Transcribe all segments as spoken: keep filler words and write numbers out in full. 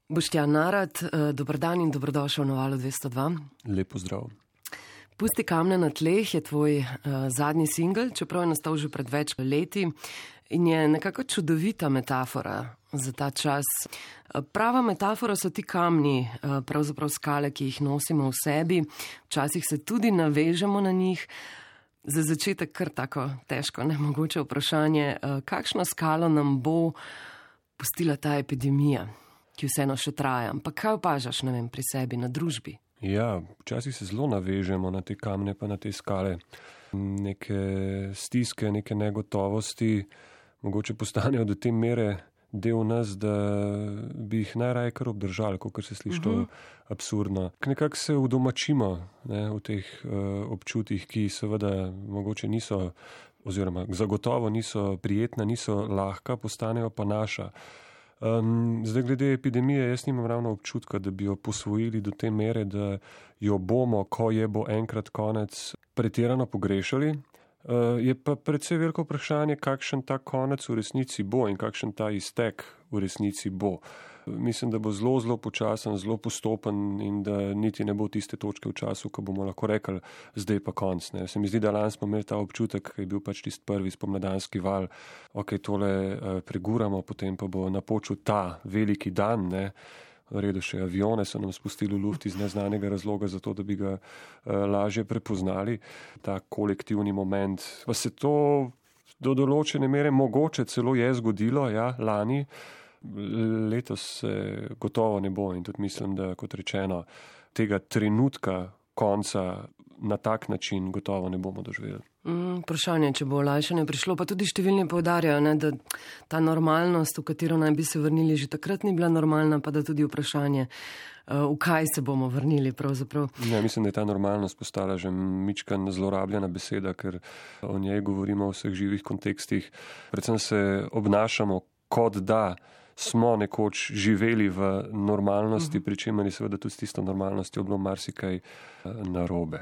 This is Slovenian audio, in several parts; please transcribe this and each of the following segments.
Boštjan Narad, dober dan in dobrodošel na Valu dvesto dva. Lep pozdrav. Pusti kamne na tleh je tvoj uh, zadnji singel, čeprav je nastal že pred več leti in je nekako čudovita metafora za ta čas. Prava metafora so ti kamni, uh, pravzaprav skale, ki jih nosimo v sebi, včasih se tudi navežemo na njih. Za začetek kar tako težko, nemogoče vprašanje, uh, kakšno skalo nam bo pustila ta epidemija, ki vseeno še traja. Pa kaj opažaš, ne vem, pri sebi, na družbi? Ja, včasih se zelo navežemo na te kamne pa na te skale. Neke stiske, neke negotovosti mogoče postanejo do te mere del nas, da bi jih najraje kar obdržali, kot se sliši to uh-huh. absurdno. Nekako se udomačimo ne, v teh uh, občutih, ki seveda mogoče niso, oziroma zagotovo niso prijetna, niso lahka, postanejo pa naša. Um, zdaj, glede epidemije, jaz nimam ravno občutka, da bi jo posvojili do te mere, da jo bomo, ko je bo enkrat konec, pretirano pogrešali. Uh, je pa predvsej veliko vprašanje, kakšen ta konec v resnici bo in kakšen ta iztek v resnici bo. Mislim, da bo zelo, zelo počasen, zelo postopen in da niti ne bo tiste točke v času, ko bomo lahko rekli, zdaj pa konc. Ne. Se mi zdi, da lani smo imeli ta občutek, ki je bil pač tist prvi spomladanski val, ok, tole uh, preguramo, potem pa bo napočil ta veliki dan, ne. V redu, še avione so nam spustili v luft iz neznanega razloga, zato da bi ga uh, lažje prepoznali. Ta kolektivni moment. Pa se to do določene mere mogoče celo je zgodilo, ja, lani. Letos se gotovo ne bo in tudi mislim, da kot rečeno, tega trenutka konca na tak način gotovo ne bomo doživeli. Mm, vprašanje, če bo olajšanje prišlo, pa tudi številni poudarjajo, ne, da ta normalnost, v katero naj bi se vrnili, že takrat ni bila normalna, pa da tudi vprašanje, v kaj se bomo vrnili pravzaprav. Ja, mislim, da je ta normalnost postala že mičkan zlorabljena beseda, ker o njej govorimo v vseh živih kontekstih. Predvsem se obnašamo, kot da smo nekoč živeli v normalnosti, pri čemer je seveda tudi s tisto normalnostjo bilo marsikaj narobe.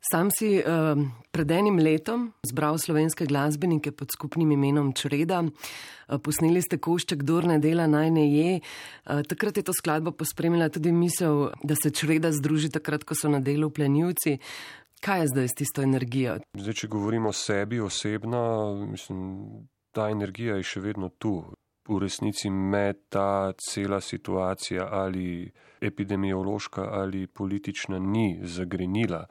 Sam si uh, pred enim letom zbral slovenske glasbenike pod skupnim imenom Čreda. Uh, posneli ste košček Kdor ne dela, naj ne je. Uh, takrat je to skladbo pospremila tudi misel, da se čreda združi takrat, ko so na delu plenilci. Kaj je zdaj s tisto energijo? Zdaj, če govorimo o sebi osebno, mislim, ta energija je še vedno tu. V resnici me ta cela situacija ali epidemiološka ali politična ni zagrenila.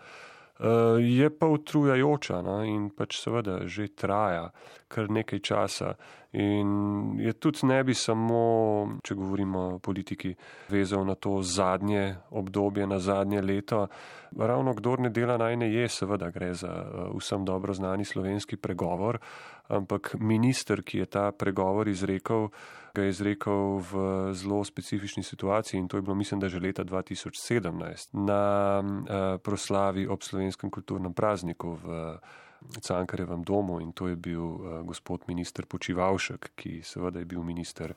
Uh, je pa utrujajoča, no? In pač seveda že traja kar nekaj časa in je tudi ne bi samo, če govorimo o politiki, vezal na to zadnje obdobje, na zadnje leto. Ravno Kdor ne dela, naj ne je, seveda gre za uh, vsem dobro znani slovenski pregovor, ampak minister, ki je ta pregovor izrekel, ga je izrekel v zelo specifični situaciji in to je bilo, mislim, da že leta dva tisoč sedemnajst na uh, proslavi ob slovenskem kulturnem prazniku v Cankarjevem domu in to je bil uh, gospod minister Počivalšek, ki seveda je bil minister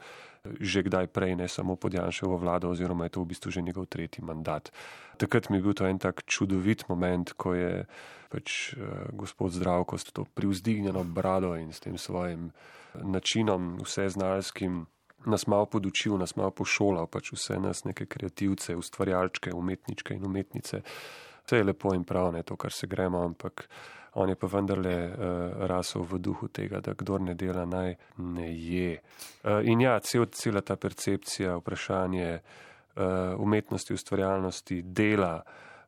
že kdaj prej, ne samo pod Janševo vlado, oziroma je to v bistvu že njegov tretji mandat. Takrat mi je bil to en tak čudovit moment, ko je pač uh, gospod Zdravko s to privzdignjeno brado in s tem svojim načinom vseznalskim nas malo podučil, nas malo pošolal, pač vse nas neke kreativce, ustvarjalčke, umetničke in umetnice. Vse je lepo in prav, ne to, kar se gremo, ampak on je pa vendarle uh, rasel v duhu tega, da kdor ne dela, naj ne je. Uh, in ja, cel, cela ta percepcija, vprašanje uh, umetnosti, ustvarjalnosti, dela,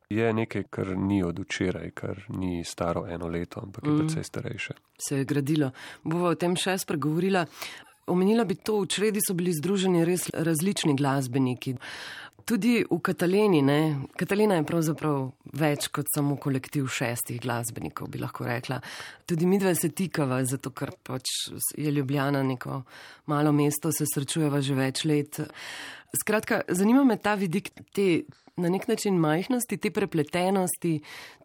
je nekaj, kar ni od včeraj, kar ni staro eno leto, ampak je mm. precej starejše. Se je gradilo. Bova o tem še spregovorila. Omenila bi to, v Čredi so bili združeni res različni glasbeniki. Tudi v Kataleni, ne. Katalena je pravzaprav več kot samo kolektiv šestih glasbenikov, bi lahko rekla. Tudi midva se tikava, zato ker pač je Ljubljana neko malo mesto, se srečujeva že več let. Skratka, zanima me ta vidik te na nek način majhnosti, te prepletenosti,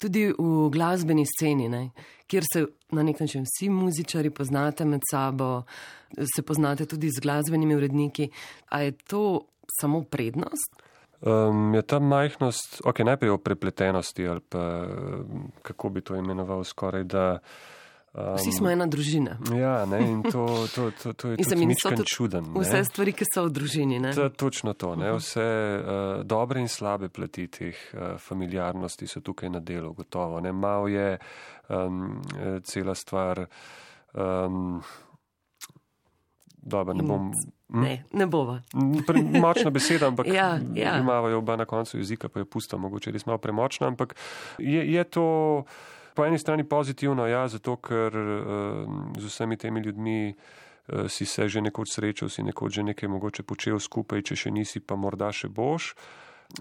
tudi v glasbeni sceni, ne, kjer se na nek način vsi muzičari poznate med sabo, se poznate tudi z glasbenimi uredniki. A je to samo prednost? Um, je ta majhnost, ok, najprej o prepletenosti ali pa kako bi to imenoval skoraj, da Um, Vsi smo ena družina. Ja, ne, in to, to, to, to je tudi mičken čuden. Ne. Vse stvari, ki so v družini. Ne? To, točno to. Ne. Vse uh, dobre in slabe plati teh uh, familiarnosti so tukaj na delu, gotovo. Ne. Mal je um, cela stvar. Um, dobro, ne bom. Hm? Ne, ne bova. Močna beseda, ampak ja, ja. imamo jo oba na koncu jezika, pa jo pusta, mogoče res malo premočna, ampak je, je to. Po eni strani pozitivno, ja, zato ker uh, z vsemi temi ljudmi uh, si se že nekoč srečal, si nekoč že nekaj mogoče počel skupaj, če še nisi, pa morda še boš.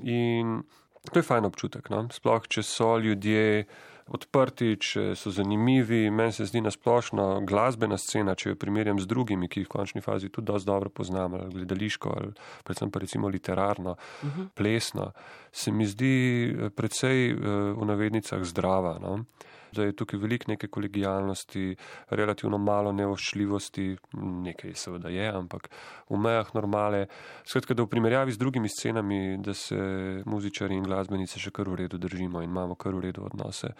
In to je fajn občutek, no? Sploh, če so ljudje odprti, če so zanimivi. Meni se zdi nasplošno glasbena scena, če jo primerjam z drugimi, ki jih v končni fazi tudi dosti dobro poznam, ali gledališko, ali predvsem pa recimo literarno, uh-huh. plesno, se mi zdi precej v navednicah zdrava. No? Da je tukaj veliko neke kolegijalnosti, relativno malo nevoščljivosti, nekaj seveda je, ampak v mejah normale. Skratka, da v primerjavi z drugimi scenami, da se muzičari in glasbenice še kar v redu držimo in imamo kar v redu odnose.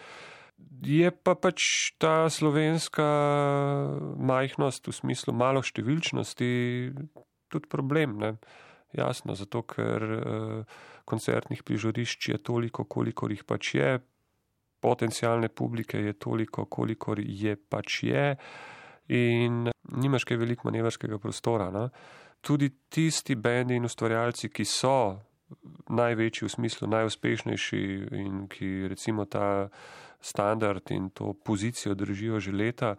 Je pa pač ta slovenska majhnost v smislu malo številčnosti tudi problem, ne? Jasno, zato ker eh, koncertnih prizorišč je toliko, kolikor jih pač je, potencialne publike je toliko, kolikor je pač je in nimaš kaj veliko manevrskega prostora. No? Tudi tisti bendi in ustvarjalci, ki so največji v smislu, najuspešnejši in ki recimo ta standard in to pozicijo držijo že leta,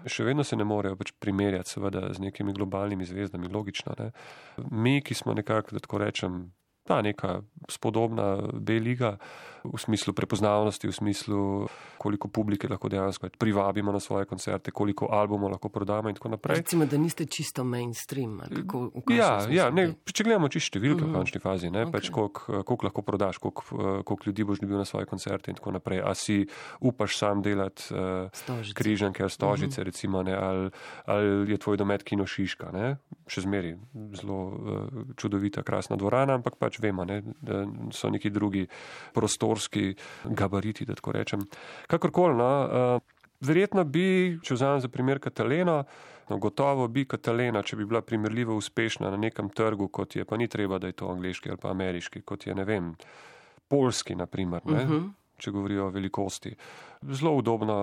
še vedno se ne morejo pač primerjati seveda z nekimi globalnimi zvezdami, logično. Ne? Mi, ki smo nekako, da tako rečem, ta neka spodobna B-liga v smislu prepoznavnosti, v smislu koliko publike lahko dejansko privabimo na svoje koncerte, koliko albumov lahko prodamo in tako naprej. Recimo, da niste čisto mainstream. Ali kako, ja, ja ne, če gledamo čisto številke uh-huh. v končni fazi, ne, okay. pač koliko, koliko lahko prodaš, koliko, koliko ljudi boš dobil na svoje koncerte in tako naprej. A si upaš sam delati uh, križanke ali stožice, uh-huh. recimo, ne, ali, ali je tvoj domet Kino Šiška, ne, še zmeri zelo uh, čudovita, krasna dvorana, ampak pač vemo, ne, da so neki drugi prostorski gabariti, da tako rečem. Kakorkoli, no, uh, verjetno bi, če vzamem za primer Kataleno, no, gotovo bi Katalena, če bi bila primerljivo uspešna na nekem trgu, kot je, pa ni treba, da je to angleški ali pa ameriški, kot je, ne vem, polski, na primer, ne, uh-huh. če govorijo o velikosti. Zelo udobno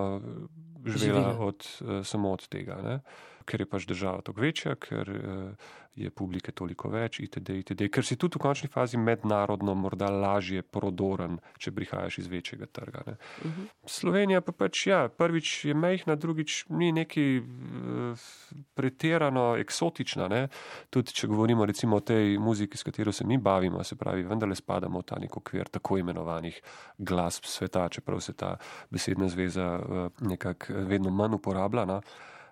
živela od, uh, samo od tega, ne. Ker je pač država toliko večja, ker uh, je publike toliko več, itd., itd., ker si tudi v končni fazi mednarodno morda lažje prodoren, če prihajaš iz večjega trga. Ne. Uh-huh. Slovenija pa pač, ja, prvič je majhna, drugič ni neki uh, pretirano eksotična, ne. Tudi če govorimo recimo o tej muziki, s katero se mi bavimo, se pravi, vendarle spadamo v ta nek okvir tako imenovanih glasb sveta, čeprav se ta besedna zveza uh, nekako vedno manj uporablja, no.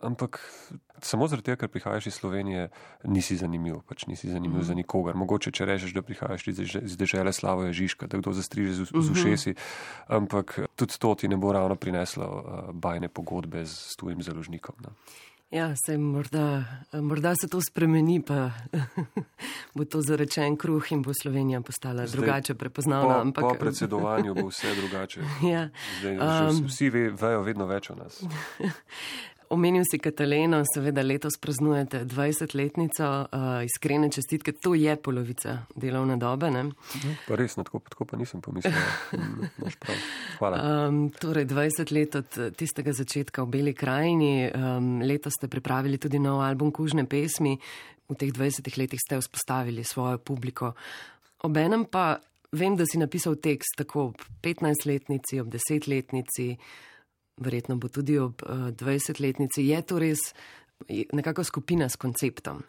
Ampak samo zaradi tega, ker prihajaš iz Slovenije, nisi zanimiv, pač nisi zanimiv mm. za nikogar. Mogoče, če rečeš, da prihajaš iz dežele Slavoja Žižka, da kdo zastriže z, z ušesi, ampak tudi to ti ne bo ravno prineslo uh, bajne pogodbe z, s tujim založnikom. No. Ja, se morda, morda se to spremeni, pa bo to zarečen kruh in bo Slovenija postala Zdaj, drugače prepoznavna. Po, ampak... po predsedovanju bo vse drugače. Ja. Zdaj, um... Vsi ve, vejo vedno več o nas. Omenil si Kataleno, seveda letos praznujete dvajsetletnico, uh, iskrene čestitke, to je polovica delovne dobe, ne? Pa res, tako, tako pa nisem pomislil. Imaš prav. Hvala. Um, torej, dvajset let od tistega začetka v Beli krajini, um, letos ste pripravili tudi nov album Kužne pesmi, v teh dvajsetih letih ste vzpostavili svojo publiko. Obenem pa vem, da si napisal tekst tako ob petnajstletnici, ob desetletnici, verjetno bo tudi ob uh, dvajsetletnici. Je to res nekako skupina s konceptom?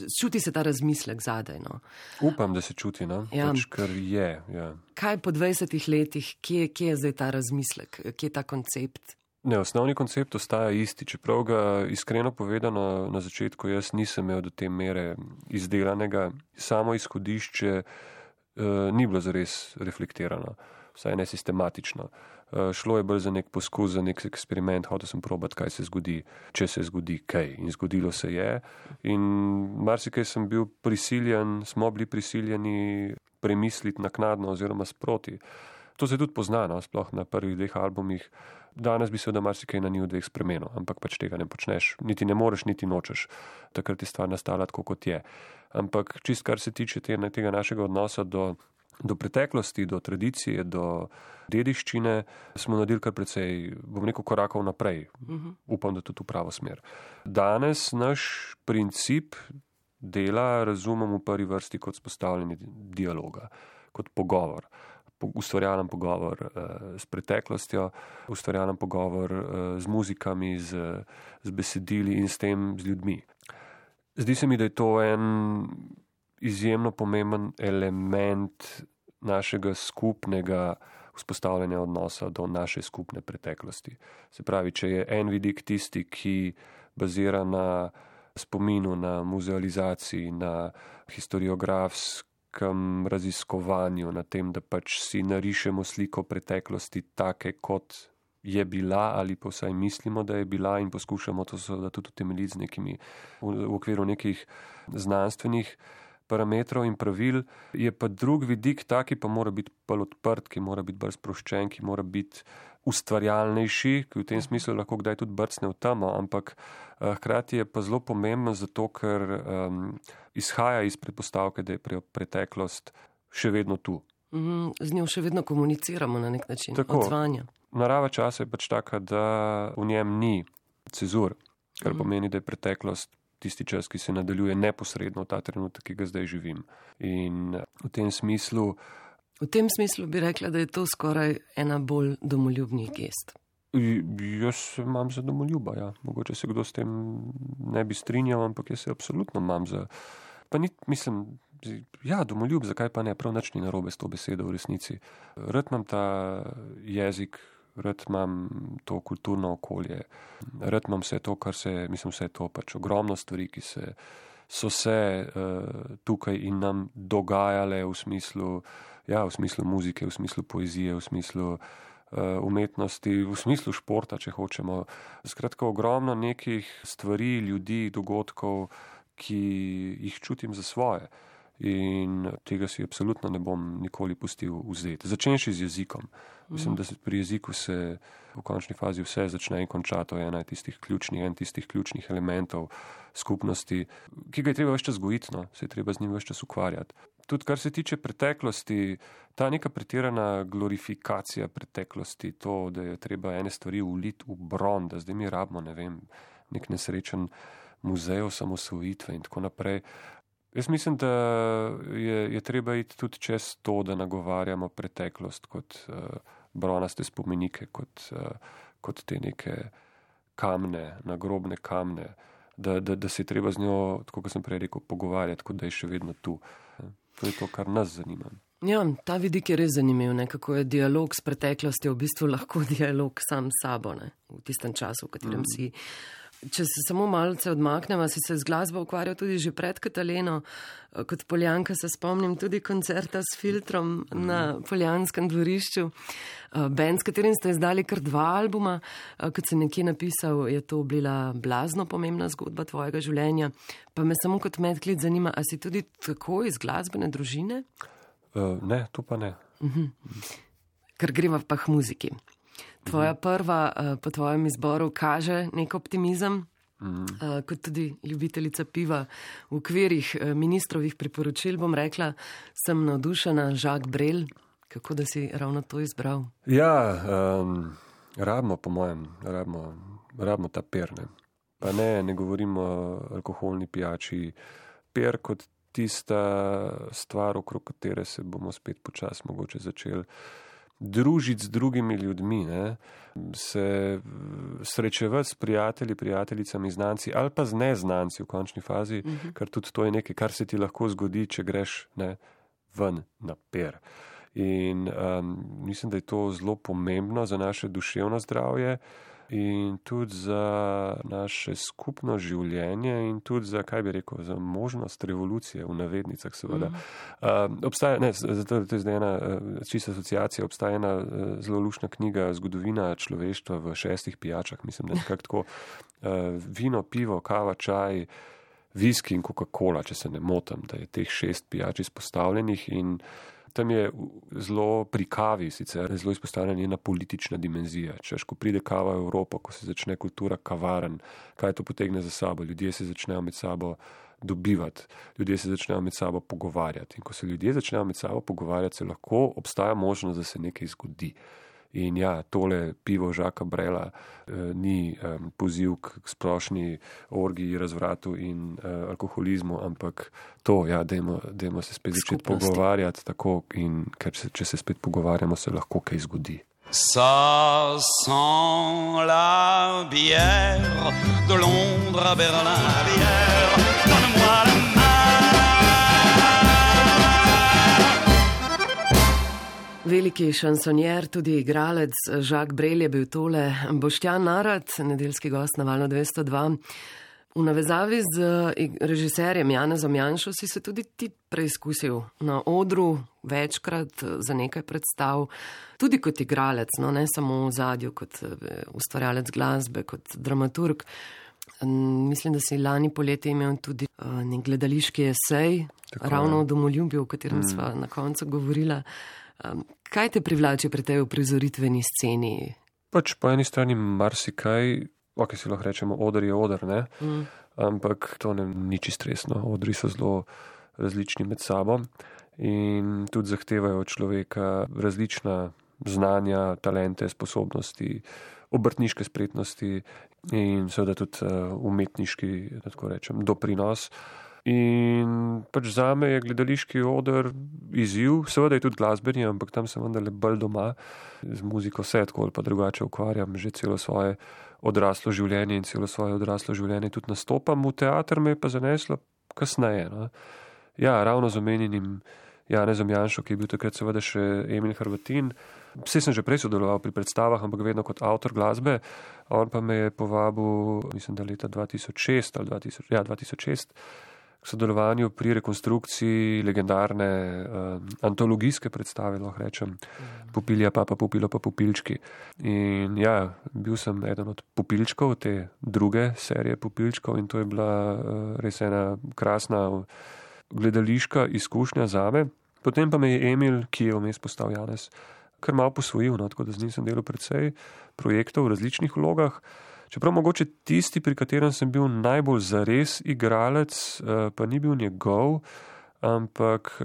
Čuti se ta razmislek zadaj, no? Upam, da se čuti, no? Ja. Pač, kar je, ja. Kaj po dvajsetih letih, kje, kje je zdaj ta razmislek, kje je ta koncept? Ne, osnovni koncept ostaja isti, čeprav ga iskreno povedano na začetku jaz nisem imel do te mere izdelanega. Samo izhodišče uh, ni bilo zares reflektirano, vsaj ne sistematično. Uh, šlo je bolj za nek poskus, za nek eksperiment, hotel sem probati, kaj se zgodi, če se zgodi kaj. In zgodilo se je. In marsikaj sem bil prisiljen, smo bili prisiljeni premisliti naknadno oziroma sproti. To se tudi pozna, no, sploh na prvih dveh albumih. Danes bi se da marsikaj na njih dveh spremenil, ampak pač tega ne počneš. Niti ne moreš, niti nočeš. Takrat je stvar nastala tako, kot je. Ampak čist kar se tiče tega našega odnosa do, do preteklosti, do tradicije, do dediščine, smo naredili kar precej, bom rekel, korakov naprej. Uh-huh. Upam, da tudi v pravo smer. Danes naš princip dela razumem v prvi vrsti kot spostavljanje dialoga, kot pogovor. Ustvarjalen pogovor uh, s preteklostjo, ustvarjalen pogovor uh, z muzikami, z, z besedili in s tem z ljudmi. Zdi se mi, da je to en izjemno pomemben element našega skupnega vzpostavljanja odnosa do naše skupne preteklosti. Se pravi, če je en vidik tisti, ki bazira na spominu, na muzealizaciji, na historiografski raziskovanju, na tem, da pač si narišemo sliko preteklosti take, kot je bila ali pa vsaj mislimo, da je bila in poskušamo to seveda tudi utemeljiti z nekimi, v, v okviru nekih znanstvenih parametrov in pravil, je pa drug vidik taki, pa mora biti bolj odprt, ki mora biti bolj sproščen, ki mora biti ustvarjalnejši, ki v tem smislu lahko kdaj tudi brcne v temo, ampak uh, hkrati je pa zelo pomembno zato, ker um, izhaja iz predpostavke, da je pre- preteklost še vedno tu. Mm, z njo še vedno komuniciramo na nek način, Tako, odzvanja. Narava časa je pač taka, da v njem ni cezur, kar mm. pomeni, da je preteklost tisti čas, ki se nadaljuje neposredno v ta trenutek, ki ga zdaj živim. In v tem smislu V tem smislu bi rekla, da je to skoraj ena bolj domoljubnih gest. Jaz se imam za domoljuba, ja. Mogoče se kdo s tem ne bi strinjal, ampak jaz se absolutno imam za... Pa ni, mislim, ja, domoljub, zakaj pa ne, prav nič ni narobe s to besedo v resnici. Rad imam ta jezik, rad imam to kulturno okolje, rad imam vse to, kar se, mislim, vse to pač ogromno stvari, ki se, so se uh, tukaj in nam dogajale v smislu Ja, v smislu muzike, v smislu poezije, v smislu uh, umetnosti, v smislu športa, če hočemo. Skratka, ogromno nekih stvari, ljudi, dogodkov, ki jih čutim za svoje. In tega si absolutno ne bom nikoli pustil vzeti. Začenši z jezikom. Mislim, da se pri jeziku se v končni fazi vse začne in konča. To je ena tistih ključnih, en tistih ključnih elementov skupnosti, ki ga je treba več čas gojiti, no? Se je treba z njim več čas ukvarjati. Tudi kar se tiče preteklosti, ta neka pretirana glorifikacija preteklosti, to, da je treba ene stvari uliti v bron, da zdaj mi rabimo, ne vem, nek nesrečen muzej osamosvojitve in tako naprej. Jaz mislim, da je, je treba iti tudi čez to, da nagovarjamo preteklost kot uh, bronaste spomenike, kot, uh, kot te neke kamne, nagrobne kamne, da, da, da se je treba z njo, tako kot sem prej rekel, pogovarjati, kot da je še vedno tu. To je to, kar nas zanima. Ja, ta vidik je res zanimiv, ne? Kako je dialog s preteklostjo v bistvu lahko dialog sam s sabo, ne? V tistem času, v katerem mm. si. Če se samo malce odmaknemo, si se z glasbo ukvarjal tudi že pred Kataleno. Kot Poljanka se spomnim tudi koncerta s Filtrom mm. na Poljanskem dvorišču. Band, s katerim ste izdali kar dva albuma. Kot sem nekje napisal, je to bila blazno pomembna zgodba tvojega življenja. Pa me samo kot medklic zanima, a si tudi tako iz glasbene družine? Uh, ne, to pa ne. Uh-huh. Ker greva pa k muziki. Tvoja prva po tvojem izboru kaže nek optimizem, mm. kot tudi ljubiteljica piva v okvirih ministrovih priporočil, bom rekla, sem navdušena, Jacques Brel. Kako da si ravno to izbral? Ja, um, rabimo po mojem, rabimo, rabimo ta per, ne. Pa ne, ne govorimo o alkoholni pijači. Per kot tista stvar, okrog katere se bomo spet počasi mogoče začeli družiti z drugimi ljudmi, ne? Se srečevati s prijatelji, prijateljicami, znanci ali pa z neznanci v končni fazi, uh-huh. ker tudi to je nekaj, kar se ti lahko zgodi, če greš ne, ven na per. In um, mislim, da je to zelo pomembno za naše duševno zdravje in tudi za naše skupno življenje in tudi za, kaj bi rekel, za možnost revolucije v navednicah seveda. Mm. Uh, obstaja, ne, zato to je zdaj ena čista asociacija, obstaja ena zelo luštna knjiga Zgodovina človeštva v šestih pijačah, mislim, da je nekako tako uh, vino, pivo, kava, čaj, viski in Coca-Cola, če se ne motim, da je teh šest pijač izpostavljenih in Tam je zelo pri kavi sicer zelo izpostavljena njena politična dimenzija. Češ, ko pride kava v Evropo, ko se začne kultura kavaren, kaj to potegne za sabo? Ljudje se začnejo med sabo dobivati, ljudje se začnejo med sabo pogovarjati. In ko se ljudje začnejo med sabo pogovarjati, se lahko obstaja možnost, da se nekaj zgodi. In ja, tole pivo Žaka Brela eh, ni eh, poziv k splošni orgiji, razvratu in eh, alkoholizmu, ampak to, ja, dajmo, dajmo se spet začeti pogovarjati tako, in ker se, če se spet pogovarjamo, se lahko kaj zgodi. Ça sent la bière de Londres à Berlin, la bière, donne-moi la main. Veliki šansonjer, tudi igralec Jacques Brel je bil tole. Boštjan Narat, nedeljski gost na Valu dvesto dva. V navezavi z režiserjem Janezom Janšo si se tudi ti preizkusil na odru večkrat za nekaj predstav, tudi kot igralec, no ne samo v zadju, kot ustvarjalec glasbe, kot dramaturg. Mislim, da si lani poleti imel tudi nek gledališki esej, tako ravno o domoljubju, o katerem mm. sva na koncu govorila. Kaj te privlači pri tej uprizoritveni sceni? Pač po eni strani marsikaj, ok, si lahko rečemo, oder je oder, ne? Mm. Ampak to ne ni čisto resno. Odri so zelo različni med sabo in tudi zahtevajo od človeka različna znanja, talente, sposobnosti, obrtniške spretnosti in seveda tudi umetniški, da tako rečem, doprinos. In pač zame je gledališki oder izziv, seveda je tudi glasbeni, ampak tam sem vendarle bolj doma, z muziko se tako ali pa drugače ukvarjam, že celo svoje odraslo življenje in celo svoje odraslo življenje tudi nastopam. V teater me je pa zaneslo kasneje. No. Ja, ravno z omenjenim Janezom Janšo, ki je bil takrat seveda še Emil Hrvatin. Vse sem že prej sodeloval pri predstavah, ampak vedno kot avtor glasbe. On pa me je povabil, mislim, da leta dva tisoč šest ali dva tisoč, ja, dva tisoč šest, k sodelovanju pri rekonstrukciji legendarne um, antologijske predstave, lahko rečem, Pupilja papa, Pupilo pa Pupilčki. In ja, bil sem eden od Pupilčkov, te druge serije Pupilčkov, in to je bila uh, res ena krasna gledališka izkušnja zame. Potem pa me je Emil, ki je vmes postal Janez, kar malo posvojil, no, tako da z njim sem delal precej projektov v različnih vlogah. Čeprav mogoče tisti, pri katerem sem bil najbolj zares igralec, pa ni bil njegov, ampak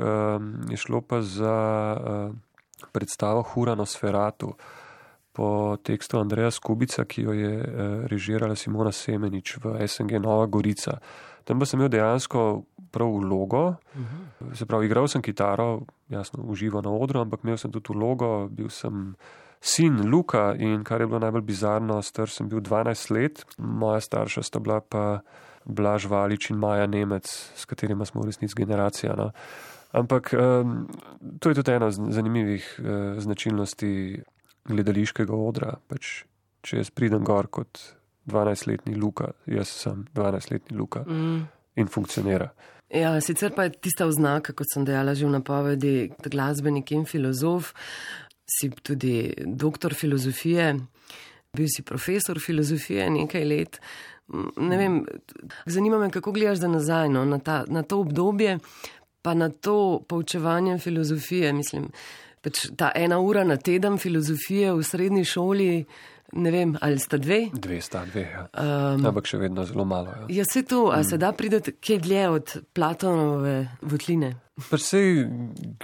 je šlo pa za predstavo Hura Nosferatu po tekstu Andreja Skubica, ki jo je režirala Simona Semenič v S N G Nova Gorica. Tam pa sem imel dejansko prav vlogo, uh-huh. Se pravi, igral sem kitaro, jasno, uživo na odru, ampak imel sem tudi vlogo, bil sem sin Luka in kar je bilo najbolj bizarno, star sem bil dvanajst let, moja starša sta bila pa Blaž Valič in Maja Nemec, s katerima smo v resnici generacija. No. Ampak um, to je tudi ena zanimivih uh, značilnosti gledališkega odra. Pač, če jaz pridem gor kot dvanajstletni Luka, jaz sem dvanajstletni Luka mm. in funkcionira. Ja, sicer pa je tista oznaka, kot sem dejala že v napovedi, glasbenik in filozof, si tudi doktor filozofije, bil si profesor filozofije nekaj let. Ne vem, zanima me, kako gledaš za nazaj, no, na, ta, na to obdobje, pa na to poučevanje filozofije. Mislim, pač ta ena ura na teden filozofije v srednji šoli, ne vem, ali sta dve? Dve sta, dve, ja. Um, ampak še vedno zelo malo. Ja, ja se to, a mm. se da prideti kje dlje od Platonove votline? Pa sej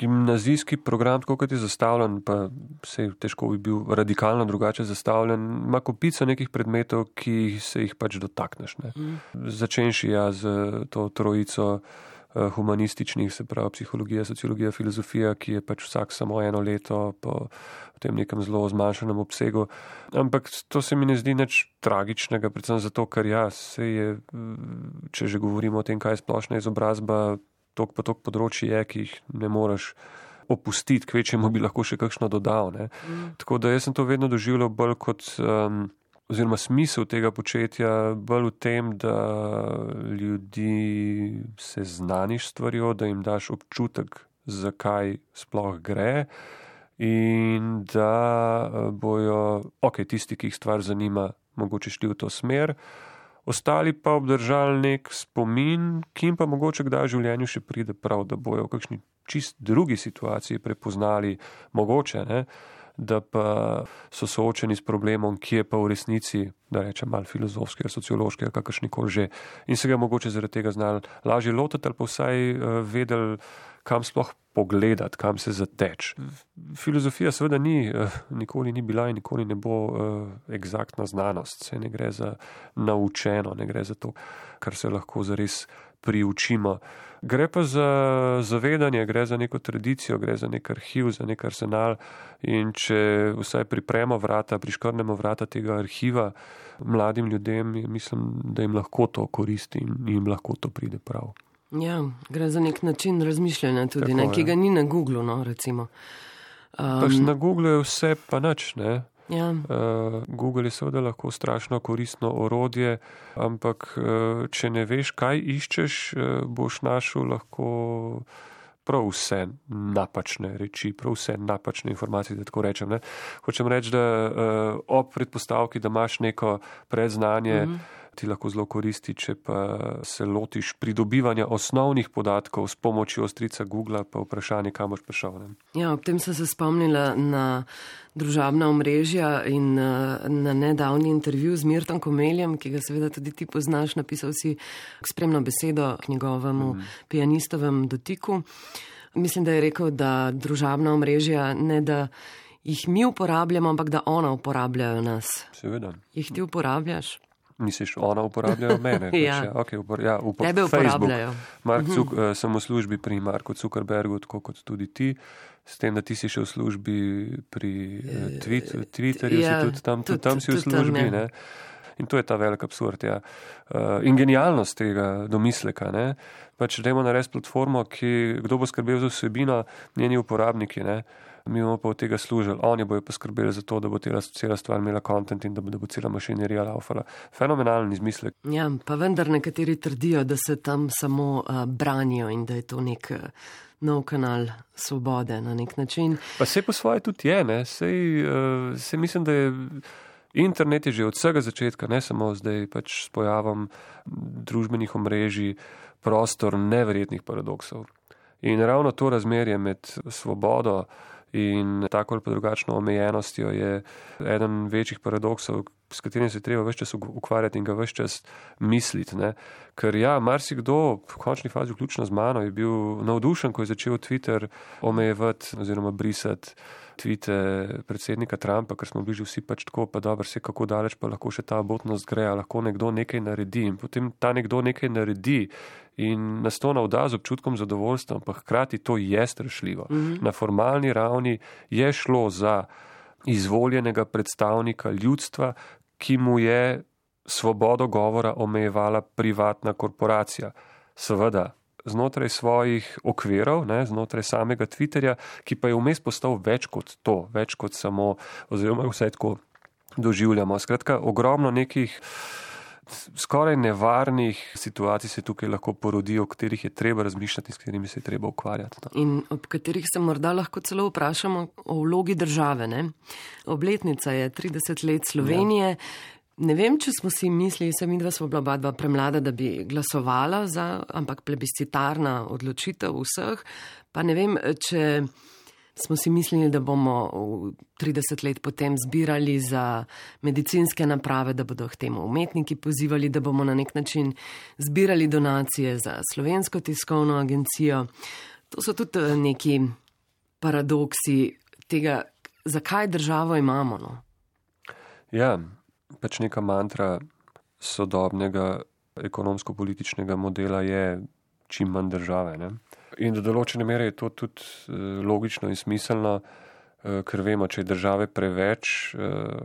gimnazijski program, tako kot je zastavljen, pa sej težko bi bil radikalno drugače zastavljen, ima kopico nekih predmetov, ki se jih pač dotakneš. Ne. Mm. Začenši ja z to trojico humanističnih, se pravi psihologija, sociologija, filozofija, ki je pač vsak samo eno leto po tem nekem zelo zmanjšanem obsegu. Ampak to se mi ne zdi nič tragičnega, predvsem zato, ker ja, se je, če že govorimo o tem, kaj je splošna izobrazba, tok pa tok področji je, ki jih ne moreš opustiti, kvečemu bi lahko še kakšno dodal. Ne. Mm. Tako da jaz sem to vedno doživljal bolj kot um, oziroma smisel tega početja bolj v tem, da ljudi seznaniš stvarjo, da jim daš občutek, zakaj sploh gre in da bojo, ok, tisti, ki jih stvar zanima, mogoče šli v to smer, ostali pa obdržali nek spomin, ki jim pa mogoče kdaj v življenju še pride prav, da bojo v kakšni čist drugi situaciji prepoznali mogoče, ne, da pa so soočeni s problemom, ki je pa v resnici, da rečem, malo filozofskega, sociološkega, kakršnikoli že, in se ga mogoče zaradi tega znali lažje lotiti ali pa vsaj uh, vedeli, kam sploh pogledati, kam se zateč. Filozofija seveda ni, uh, nikoli ni bila in nikoli ne bo uh, eksaktna znanost. Se ne gre za naučeno, ne gre za to, kar se lahko zares priučimo. Gre pa za zavedanje, gre za neko tradicijo, gre za nek arhiv, za nek arsenal in če vsaj pripremo vrata, priškrnemo vrata tega arhiva mladim ljudem, mislim, da jim lahko to koristi in jim lahko to pride prav. Ja, gre za nek način razmišljanja tudi, ne, ki ga ni na Googlu, no, recimo. Um, pač na Googlu je vse pa nič, ne. Ja. Uh, Google je seveda lahko strašno koristno orodje, ampak uh, če ne veš, kaj iščeš, uh, boš našel lahko prav vse napačne reči, prav vse napačne informacije, da tako rečem. Ne? Hočem reči, da uh, ob predpostavki, da imaš neko predznanje, mm-hmm. ti lahko zelo koristi, če pa se lotiš pridobivanja osnovnih podatkov s pomočjo strica Googla, pa vprašanje, kam boš prišel. Ne? Ja, ob tem sem se spomnila na družabna omrežja in na nedavni intervju z Mirtom Komeljem, ki ga seveda tudi ti poznaš, napisal si spremno besedo k njegovemu mm. pianistovem dotiku. Mislim, da je rekel, da družabna omrežja ne da jih mi uporabljamo, ampak da ona uporabljajo nas. Seveda. Jih ti uporabljaš? Misliš, ona uporabljajo mene? ja. Pač, ja, okay, upor, ja, upor, Tebe uporabljajo. Mark Cuk, uh-huh. uh, sem v službi pri Marku Zuckerbergu, tako kot tudi ti. S tem, da ti si še v službi pri uh, tweet, Twitterju, ja, si tudi tam, tudi, tam si v službi. Tam, ja. Ne? In to je ta velik absurd. Ja. Uh, in genialnost tega domisleka. Ne? Pač dajmo narediti platformo, ki, kdo bo skrbel za vsebino, njeni uporabniki. Ne? Mi bomo pa od tega služili. Oni bojo poskrbeli za to, da bo tela, cela stvar imela content in da bo, da bo cela mašinerija laufala. Fenomenalen izmislek. Ja, pa vendar nekateri trdijo, da se tam samo uh, branijo in da je to nek uh, nov kanal svobode na nek način. Pa se po svoje tudi je, ne. Sej, uh, sej mislim, da je internet je že od vsega začetka, ne samo zdaj pač s pojavom družbenih omrežij, prostor neverjetnih paradoksov. In ravno to razmerje med svobodo in tako ali pa drugačno omejenostjo je eden večjih paradoksov, s katerim se treba ves čas ukvarjati in ga ves čas misliti. Ne? Ker ja, marsikdo, v končni fazi vključno z mano, je bil navdušen, ko je začel Twitter omejevati oziroma brisati tvite predsednika Trumpa, ker smo bili že vsi pač tako, pa dobro, vse kako daleč pa lahko še ta abotnost gre, lahko nekdo nekaj naredi in potem ta nekdo nekaj naredi in nas to navda z občutkom zadovoljstva, pa hkrati to je strašljivo. Mm-hmm. Na formalni ravni je šlo za izvoljenega predstavnika ljudstva, ki mu je svobodo govora omejevala privatna korporacija. Seveda, znotraj svojih okvirov, ne, znotraj samega Twitterja, ki pa je vmes postal več kot to, več kot samo, oziroma vse tako doživljamo. Skratka, ogromno nekih skoraj nevarnih situacij se tukaj lahko porodijo, o katerih je treba razmišljati in s katerimi se je treba ukvarjati. No. In ob katerih se morda lahko celo vprašamo o vlogi države. Ne? Obletnica je trideset let Slovenije. Ja. Ne vem, če smo si mislili, se mi dva smo bila oba dva premlada, da bi glasovala za, ampak plebiscitarna odločitev vseh. Pa ne vem, če smo si mislili, da bomo trideset let potem zbirali za medicinske naprave, da bodo k temu umetniki pozivali, da bomo na nek način zbirali donacije za Slovensko tiskovno agencijo. To so tudi neki paradoksi tega, zakaj državo imamo. No? Ja, pač neka mantra sodobnega ekonomsko-političnega modela je čim manj države. Ne? In do določene mere je to tudi logično in smiselno, ker vemo, če je države preveč,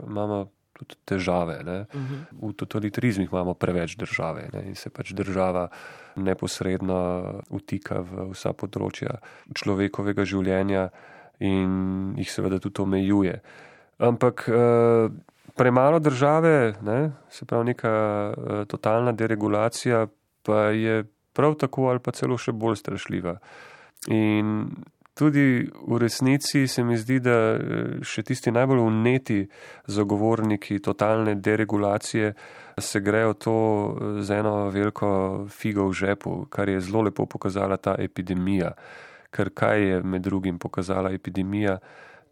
imamo tudi težave. Ne? Uh-huh. V totalitarizmih imamo preveč države, ne? In se pač država neposredno vtika v vsa področja človekovega življenja in jih seveda tudi omejuje. Ampak premalo države, ne? Se pravi neka totalna deregulacija, pa je prav tako ali pa celo še bolj strašljiva. In tudi v resnici se mi zdi, da še tisti najbolj vneti zagovorniki totalne deregulacije se grejo to z eno veliko figo v žepu, kar je zelo lepo pokazala ta epidemija. ker kaj je med drugim pokazala epidemija,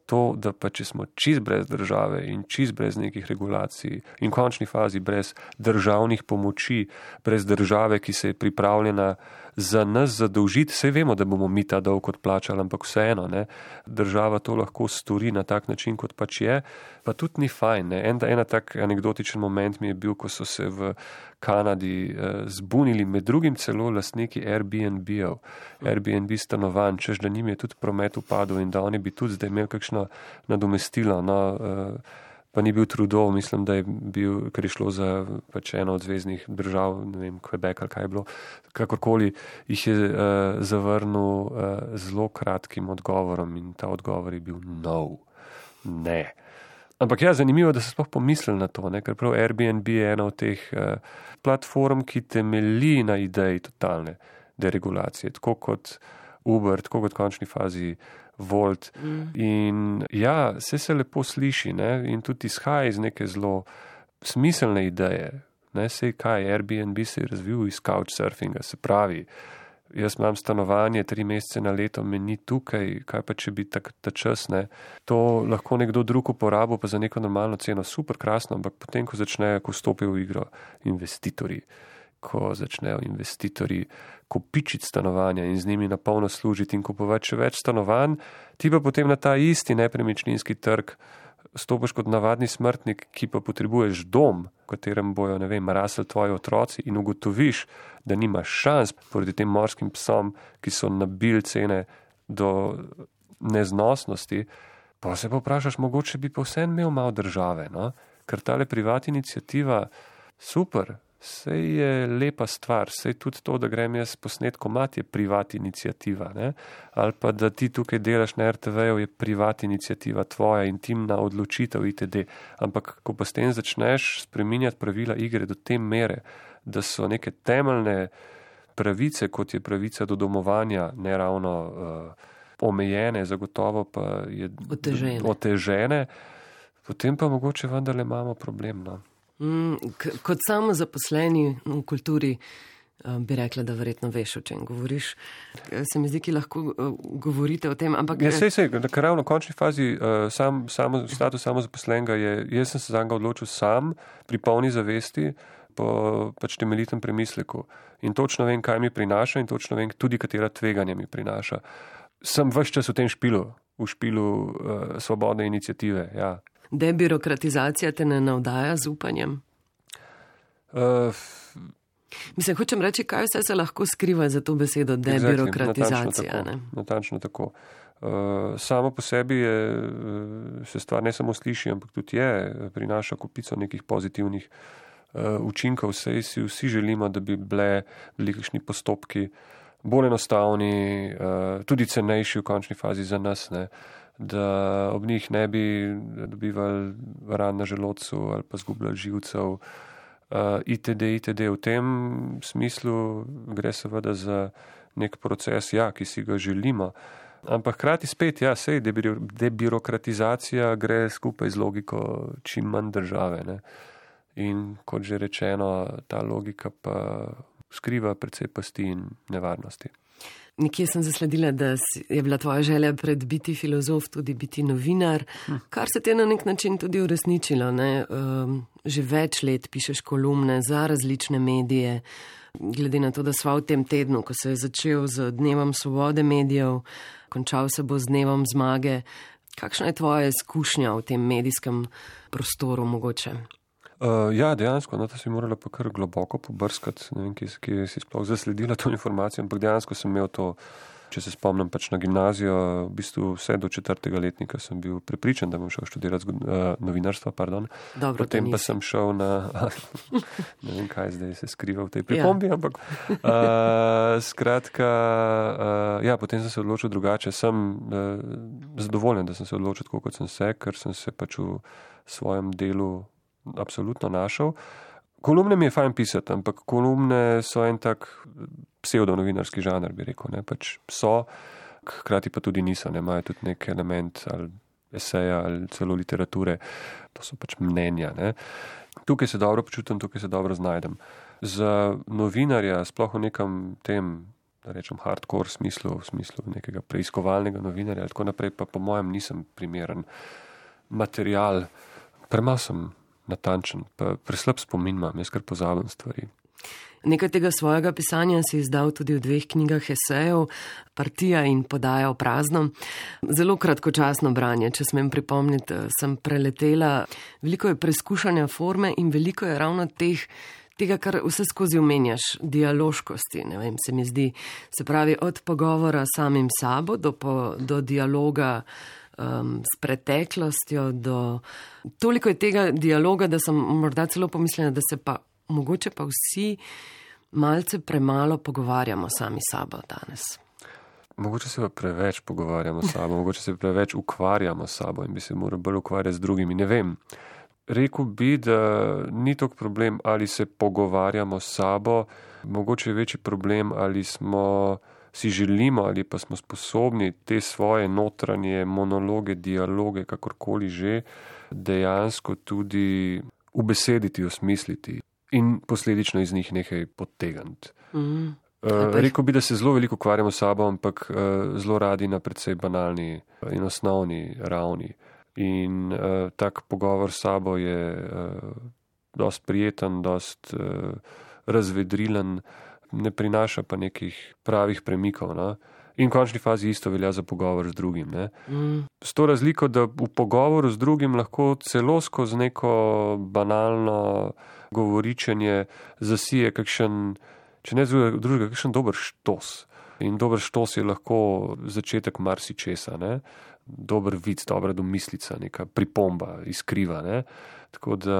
to, da pa če smo čist brez države in čist brez nekih regulacij in v končni fazi brez državnih pomoči, brez države, ki se je pripravljena za nas zadolžiti, saj vemo, da bomo mi ta dolg odplačali, ampak vseeno, ne, država to lahko stori na tak način, kot pač je, pa tudi ni fajn. Ne. En, ena tak anekdotičen moment mi je bil, ko so se v Kanadi eh, zbunili med drugim celo lastniki Airbnb-ev, Airbnb stanovanj, češ da njim je tudi promet upadel in da oni bi tudi zdaj imeli kakšno nadomestilo, no, eh, pa ni bil Trudeau, mislim, da je bil, ker je šlo za pač eno od zveznih držav, ne vem, Quebec ali kaj je bilo, kakorkoli jih je uh, zavrnil uh, zelo kratkim odgovorom in ta odgovor je bil no, ne. Ampak ja, zanimivo, da se sploh pomislili na to, ne? Ker prav Airbnb je ena od teh uh, platform, ki temelji na ideji totalne deregulacije, tako kot Uber, tako kot v končni fazi Volt. Mm. In ja, vse se lepo sliši, ne? In tudi izhaja iz neke zelo smiselne ideje. Ne? Sej kaj, Airbnb se je razvil iz couchsurfinga, se pravi, jaz imam stanovanje, tri mesece na leto me ni tukaj, kaj pa če bi tak, ta čas, ne? To lahko nekdo drug uporabil pa za neko normalno ceno, super krasno, ampak potem, ko začnejo, ko stopijo v igro investitorji, ko začnejo investitorji kopičiti stanovanja in z njimi napolno služiti in kupovati še več stanovanj, ti pa potem na ta isti nepremičninski trg stopiš kot navadni smrtnik, ki pa potrebuješ dom, v katerem bojo, ne vem, rasli tvoji otroci in ugotoviš, da nimaš šans proti tem morskim psom, ki so nabili cene do neznosnosti, pa se pa vprašaš, mogoče bi pa vsem imel malo države, no? Ker tale privat iniciativa, super, sej je lepa stvar, sej tudi to, da grem jaz posnet komad, je privat iniciativa, ne? Ali pa da ti tukaj delaš na er te veju, je privat iniciativa tvoja, intimna odločitev itd. Ampak, ko pa s tem začneš spreminjati pravila igre do te mere, da so neke temeljne pravice, kot je pravica do domovanja, ne ravno uh, omejene, zagotovo pa je otežene. otežene, potem pa mogoče vendarle imamo problem, no. Mm, k- kot samo zaposleni v kulturi uh, bi rekla, da verjetno veš, o čem govoriš. Se mi zdi, ki lahko uh, govorite o tem, ampak... Ja, sej, sej, ker ravno v končni fazi uh, sam, samo, status samozaposlenega je, jaz sem se zanga odločil sam, pri polni zavesti, po pač temeljitem premisleku. In točno vem, kaj mi prinaša in točno vem tudi, katera tveganja mi prinaša. Sem ves čas v tem špilu, v špilu uh, svobodne iniciative, ja. Debirokratizacija te ne navdaja z upanjem? Uh, Mislim, hočem reči, kaj vse se lahko skriva za to besedo debirokratizacija. Exactly, natančno tako. Uh, samo po sebi je, se stvar ne samo sliši, ampak tudi je, prinaša kupico nekih pozitivnih uh, učinkov. Sej si vsi želimo, da bi bile velikšni postopki bolj enostavni, uh, tudi cenejši v končni fazi za nas, ne? Da ob njih ne bi dobivali ran na želodcu ali pa zgubljali živcev, uh, itd., itd. V tem smislu gre seveda za nek proces, ja, ki si ga želimo. Ampak hkrati spet, ja, sej debirokratizacija gre skupaj z logiko čim manj države, ne. In kot že rečeno, ta logika pa skriva precej pasti in nevarnosti. Nekje sem zasledila, da je bila tvoja želja pred biti filozof tudi biti novinar, kar se ti je na nek način tudi uresničilo, ne? Um, že več let pišeš kolumne za različne medije, glede na to, da sva v tem tednu, ko se je začel z dnevom svobode medijev, končal se bo z dnevom zmage. Kakšna je tvoja izkušnja v tem medijskem prostoru mogoče? Uh, ja, dejansko, no, to si morala pa kar globoko pobrskati, ne vem, ki, ki si sploh zasledila to informacijo, ampak dejansko sem imel to, če se spomnim, pač na gimnazijo, v bistvu vse do četrtega letnika sem bil prepričan, da bom šel študirati uh, novinarstva, pardon. Dobro, potem pa sem šel na, ne vem, kaj zdaj se skriva v tej pripombi, ja. Ampak uh, skratka, uh, ja, potem sem se odločil drugače, sem uh, zadovoljen, da sem se odločil tako, kot sem se, ker sem se pač v svojem delu absolutno našel. Kolumne mi je fajn pisati, ampak kolumne so en tak pseudonovinarski žanr, bi rekel, ne, pač so, hkrati pa tudi niso, ne, imajo tudi nek element ali eseja ali celo literature, to so pač mnenja, ne. Tukaj se dobro počutim, tukaj se dobro znajdem. Za novinarja, sploh v nekem tem da rečem, hardcore smislu, v smislu nekega preiskovalnega novinarja, tako naprej, pa po mojem nisem primeren material. Premalo sem natančen, pa preslab spomin imam, jaz kar pozabim stvari. Nekaj tega svojega pisanja si izdal tudi v dveh knjigah esejev, Partija in Podaja v prazno. Zelo kratkočasno branje, če smem pripomniti, sem preletela. Veliko je preskušanja forme in veliko je ravno teh, tega, kar vse skozi omenjaš, dialoškosti, ne vem, se mi zdi. Se pravi, od pogovora samim sabo do, po, do dialoga um, s preteklostjo, do... Toliko je tega dialoga, da sem morda celo pomislila, da se pa mogoče pa vsi malce premalo pogovarjamo sami sabo danes. Mogoče se pa preveč pogovarjamo sabo, mogoče se preveč ukvarjamo sabo in bi se morali bolj ukvarjati z drugimi. Ne vem. Rekel bi, da ni tok problem, ali se pogovarjamo sabo, mogoče je večji problem, ali smo si želimo ali pa smo sposobni te svoje notranje monologe, dialoge, kakorkoli že, dejansko tudi ubesediti, osmisliti in posledično iz njih nekaj potegniti. Mm. Uh, rekel bi, da se zelo veliko ukvarjamo s sabo, ampak uh, zelo radi na precej banalni in osnovni ravni. In uh, tak pogovor s sabo je uh, dost prijeten, dost uh, razvedrilen, ne prinaša pa nekih pravih premikov. No? In v končni fazi isto velja za pogovor z drugim. Ne? Mm. S to razliko, da v pogovoru z drugim lahko celo skozi neko banalno govoričenje zasije kakšen, če ne drugega, kakšen dober štos. In dober štos je lahko začetek marsičesa, ne? Dober vic, dobra domislica, neka pripomba, iskriva. Ne? Tako da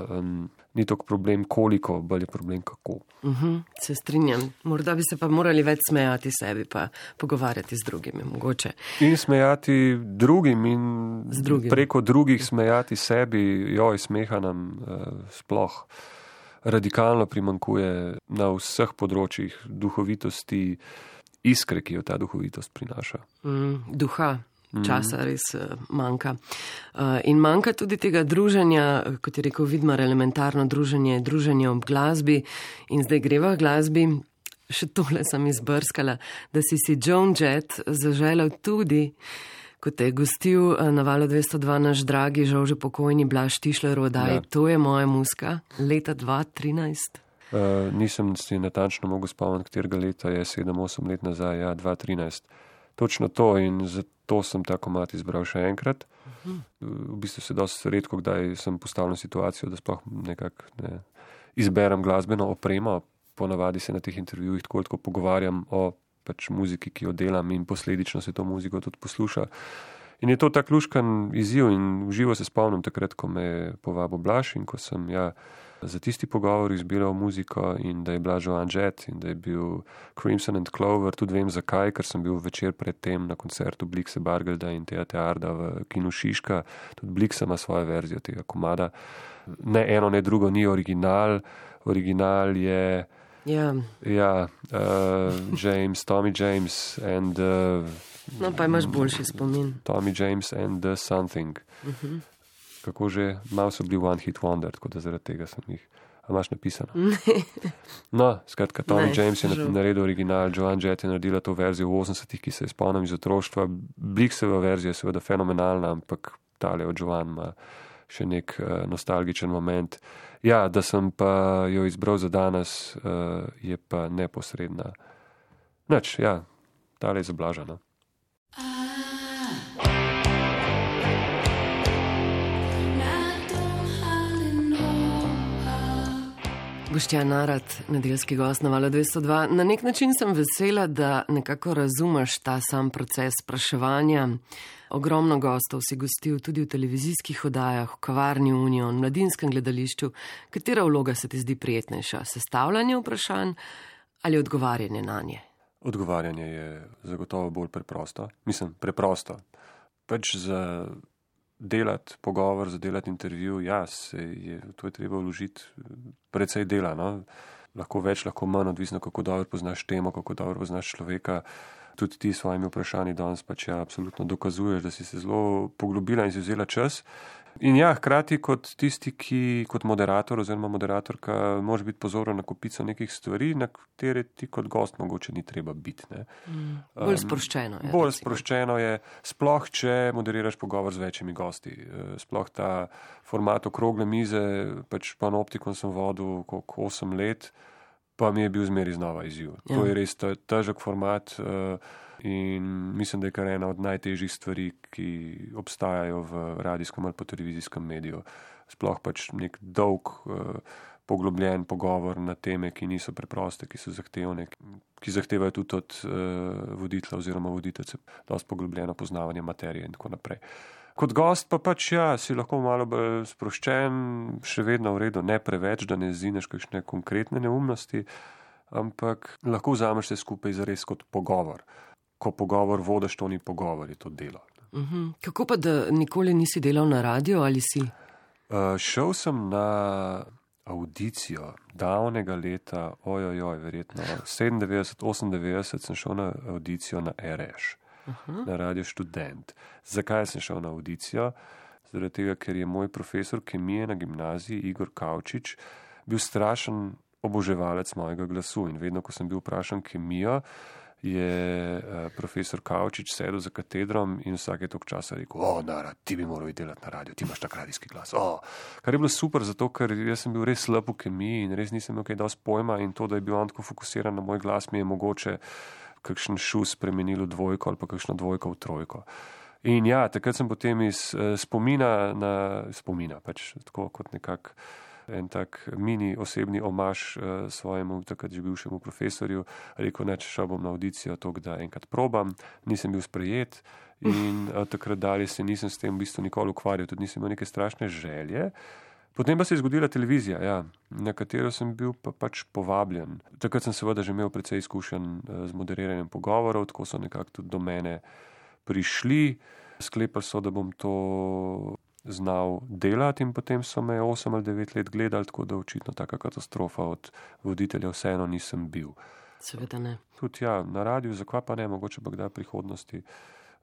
um, ni toliko problem koliko, bolj je problem kako. Uh-huh, se strinjam. Morda bi se pa morali več smejati sebi, pa pogovarjati z drugimi, mogoče. In smejati drugim in drugim. Preko drugih smejati sebi, joj, smeha nam uh, sploh radikalno primankuje na vseh področjih duhovitosti, iskre, ki jo ta duhovitost prinaša. Mm, duha. Časa res manjka. In manjka tudi tega druženja, kot je rekel Vidmar, elementarno druženje, druženje ob glasbi. In zdaj greva v glasbi, še tole sem izbrskala, da si si Joan Jett zaželel tudi, kot je gostil na Valu dvesto dva naš dragi, žal že pokojni Blaž Tišler v oddaji, ja. To je moja muska, leta dva tisoč trinajst. Uh, nisem si natančno mogel spomniti, katerega leta je sedem osem let nazaj, ja, dva tisoč trinajst. Točno to in zato sem ta komad izbral še enkrat. Uh-huh. V bistvu se dosti redko, kdaj sem postavljen situacijo, da sploh nekako ne, izberem glasbeno opremo. Ponavadi se na teh intervjujih tako tako pogovarjam o pač muziki, ki jo delam in posledično se to muziko tudi posluša. In je to tak luškan izziv in v živo se spomnim takrat, ko me je povabil Blaž in ko sem ja za tisti pogovor izbiral muziko in da je bila Joan Jett in da je bil Crimson and Clover, tudi vem zakaj, ker sem bil večer predtem na koncertu Blikse Bargelda in Teja Tearda v kinu Šiška, tudi Blikse ima svojo verzijo tega komada. Ne eno, ne drugo ni original, original je yeah. ja, uh, James, Tommy James and uh, no pa imaš boljši spomin. Tommy James and the Something. Uh-huh. Kako že, malo so bili One Hit Wonder, tako da zaradi tega sem jih. A imaš napisano? No, skratka, Tommy ne, James je žal. naredil original, Joan Jett je naredila to verzijo v osemdesetih, ki se je spomnim iz otroštva. Blikseva verzija je seveda fenomenalna, ampak tale od Joan ima še nek uh, nostalgičen moment. Ja, da sem pa jo izbral za danes, uh, je pa neposredna. Nič, ja, tale je zablažana. Boštjan Narat, nedeljski gost na Valu dvesto dva. Na nek način sem vesela, da nekako razumeš ta sam proces spraševanja. Ogromno gostov si gostil tudi v televizijskih oddajah, v kavarni Union, v mladinskem gledališču. Katera vloga se ti zdi prijetnejša? Sestavljanje vprašanj ali odgovarjanje na nje? Odgovarjanje je zagotovo bolj preprosto. Mislim, preprosto. Pač za delati pogovor, za delati intervju, ja, se je, to je treba vložiti precej dela, no. Lahko več, lahko manj, odvisno kako dobro poznaš temo, kako dobro poznaš človeka. tudi ti s svojimi vprašanji danes pač ja, absolutno dokazuješ, da si se zelo poglobila in si vzela čas. In ja, hkrati kot tisti, ki kot moderator oziroma moderatorka moraš biti pozoren na kupico nekih stvari, na katere ti kot gost mogoče ni treba biti. Ne. Mm, bolj sproščeno je. Um, bolj sproščeno je, sploh če moderiraš pogovor z večjimi gosti. Sploh ta format okrogle mize, pač Panoptikon sem vodil koliko osem let, pa mi je bil zmeri znova izziv. Ja. To je res težek format. Uh, In mislim, da je kar ena od najtežjih stvari, ki obstajajo v radijskem ali pa televizijskem mediju. Sploh pač nek dolg, poglobljen pogovor na teme, ki niso preproste, ki so zahtevne, ki zahtevajo tudi od voditelja oziroma voditeljice dosti poglobljeno poznavanje materije in tako naprej. Kot gost pa pač ja, si lahko malo bolj sproščen, še vedno v redu, ne preveč, da ne zineš kakšne konkretne neumnosti, ampak lahko vzameš se skupaj zares kot pogovor. Ko pogovor vodiš, to ni pogovor, je to delo. Uh-huh. Kako pa, da nikoli nisi delal na radio ali si? Uh, šel sem na audicijo davnega leta, ojojoj, verjetno sedemindevetdeset, osemindevetdeset sem šel na audicijo na R Š, uh-huh. na Radio Študent. Zakaj sem šel na audicijo? Zaradi tega, ker je moj profesor kemije na gimnaziji, Igor Kavčič, bil strašen oboževalec mojega glasu in vedno, ko sem bil vprašan kemijo, je profesor Kavčič sedel za katedrom in vsake toliko časa rekel, o, Nara, ti bi moral delati na radio, ti imaš tak radijski glas. O. Kar je bilo super, zato ker jaz sem bil res slab v kemiji in res nisem imel kaj dosti pojma in to, da je bil on tako fokusiran na moj glas, mi je mogoče kakšen šus spremenil v dvojko ali pa kakšno dvojko v trojko. In ja, takrat sem potem iz spomina na spomina, pač tako kot nekak en tak mini osebni omaž uh, svojemu takrat že bivšemu profesorju, rekel, neč šel bom na audicijo, to, da enkrat probam, nisem bil sprejet in uh, takrat dalje se nisem s tem v bistvu nikoli ukvarjal, tudi nisem imel neke strašne želje. Potem pa se je zgodila televizija, ja, na katero sem bil pa pač povabljen. Takrat sem seveda že imel precej izkušenj uh, z moderiranjem pogovorov, tako so nekako tudi do mene prišli, sklepali so, da bom to znal delati in potem so me osem ali devet let gledali, tako da očitno taka katastrofa od voditelja vseeno nisem bil. Seveda ne. Tudi ja, na radiju, zakaj pa ne, mogoče pa kdaj prihodnosti.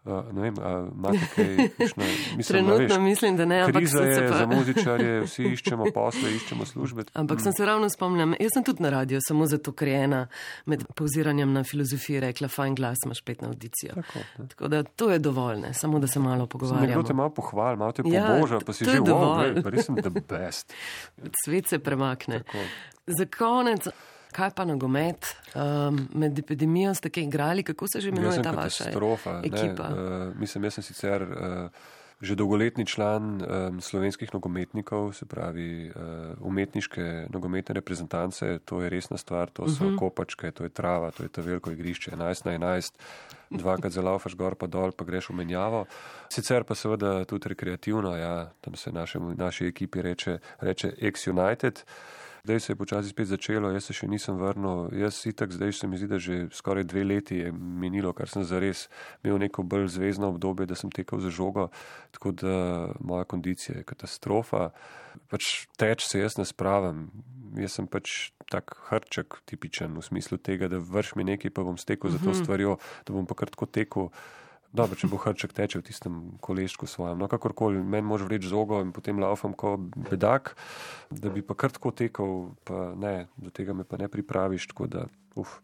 Uh, ne vem, a imate kaj, kakšno, mislim, trenutno veš, mislim, da ne, ampak kriza je pa... za muzičarje, vsi iščemo posle, iščemo službe. Ampak mm. sem se ravno spomnila, jaz sem tudi na radiju, samo zato, ker je ena med pauziranjem na filozofiji rekla, fajn glas, imaš pet na audicijo. Tako, Tako da to je dovolj, ne? Samo da se malo pogovarjamo. Nekdo te malo pohval, malo te ja, poboža, pa si že, wow, gled, pa res sem the best. Svet se premakne. Tako. Za konec, kaj pa nogomet? Um, med epidemijo ste kaj igrali? Kako se že imenuje ta vaša ekipa? Uh, mislim, jaz sem sicer uh, že dolgoletni član um, slovenskih nogometnikov, se pravi uh, umetniške nogometne reprezentance. To je resna stvar, to so uh-huh. kopačke, to je trava, to je to veliko igrišče, enajst na enajst, dvakrat zalaufaš gor pa dol, pa greš v menjavo. Sicer pa seveda tudi rekreativno, ja, tam se našem, naši ekipi reče, reče Ex-United. Zdaj se je počasi spet začelo, jaz se še nisem vrnil, jaz itak zdaj se mi zdi, da že skoraj dve leti je minilo, kar sem zares imel neko bolj zvezno obdobje, da sem tekel za žogo, tako da moja kondicija je katastrofa. Pač teč se jaz ne spravim, jaz sem pač tak hrček tipičen v smislu tega, da vrš mi nekaj, pa bom stekel za to stvarjo, da bom pa kar tako tekel. Dobro, če bo hrček teče v tistem koleščku svojem. No, kakorkoli, meni može vleči žogo in potem laufam kot bedak, da bi pa kar tako tekel, pa ne, do tega me pa ne pripraviš, tako da, uf,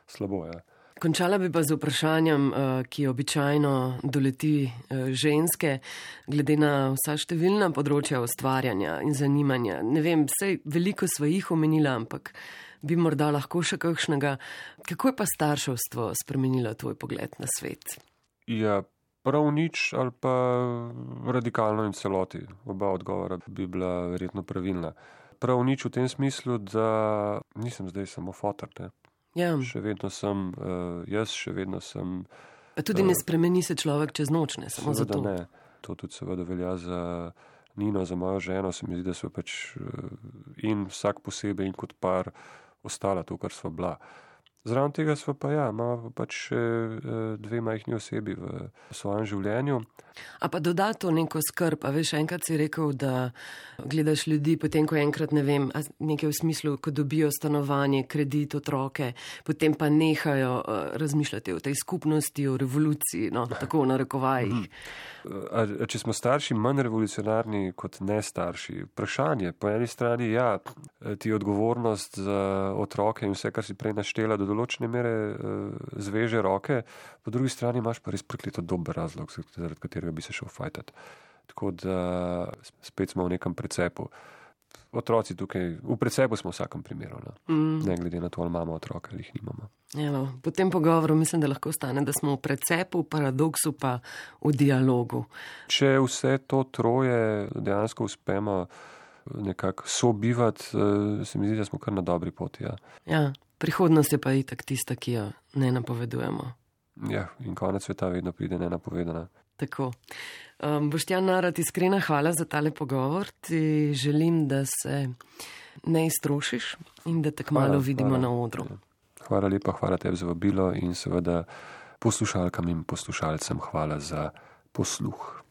slabo, ja. Končala bi pa z vprašanjem, ki običajno doleti ženske, glede na vsa številna področja ustvarjanja in zanimanja. Ne vem, vsej veliko sva jih omenila, ampak bi morda lahko še kakšnega. Kako je pa starševstvo spremenilo tvoj pogled na svet? Ja, prav nič ali pa radikalno in celoti. Oba odgovora bi bila verjetno pravilna. Prav nič v tem smislu, da nisem zdaj samo fotor, ne. Ja. Še vedno sem, uh, jaz še vedno sem... Pa tudi uh, ne spremeni se človek čez noč, ne, samo zato. Ne, to tudi seveda velja za Nino, za mojo ženo, se mi zdi, da so pač uh, in vsak posebej in kot par ostala to, kar sva bila. Zraven tega smo pa ja, imamo pač še dve majhni osebi v svojem življenju. A pa doda to neko skrb, a veš, enkrat si rekel, da gledaš ljudi, potem ko enkrat, ne vem, nekaj v smislu, ko dobijo stanovanje, kredit, otroke, potem pa nehajo uh, razmišljati o tej skupnosti, o revoluciji, no, tako v narekovajih. A, a če smo starši manj revolucionarni kot ne starši? Vprašanje. Po eni strani, ja, ti odgovornost za otroke in vse, kar si prej naštela, do določene mere uh, zveže roke, po drugi strani imaš pa res prekleto dober razlog, zaradi katerega bi se šel fajtati. Tako da spet smo v nekem precepu. Otroci tukaj, v precepu smo v vsakem primeru, no. mm. ne glede na to, ali imamo otroke ali jih nimamo. Evo, po tem pogovoru mislim, da lahko stane, da smo v precepu, v paradoksu pa v dialogu. Če vse to troje dejansko uspemo nekako sobivati, se mi zdi, da smo kar na dobri poti. Ja, ja, prihodnost je pa itak tista, ki jo ne napovedujemo. Ja, in konec sveta vedno pride nenapovedana. Tako. Um, Boštjan Narat, iskrena hvala za tale pogovor. Ti želim, da se ne iztrošiš in da te kmalu vidimo hvala, na odru. Hvala lepa, hvala tebi za vabilo in seveda poslušalkam in poslušalcem hvala za posluh.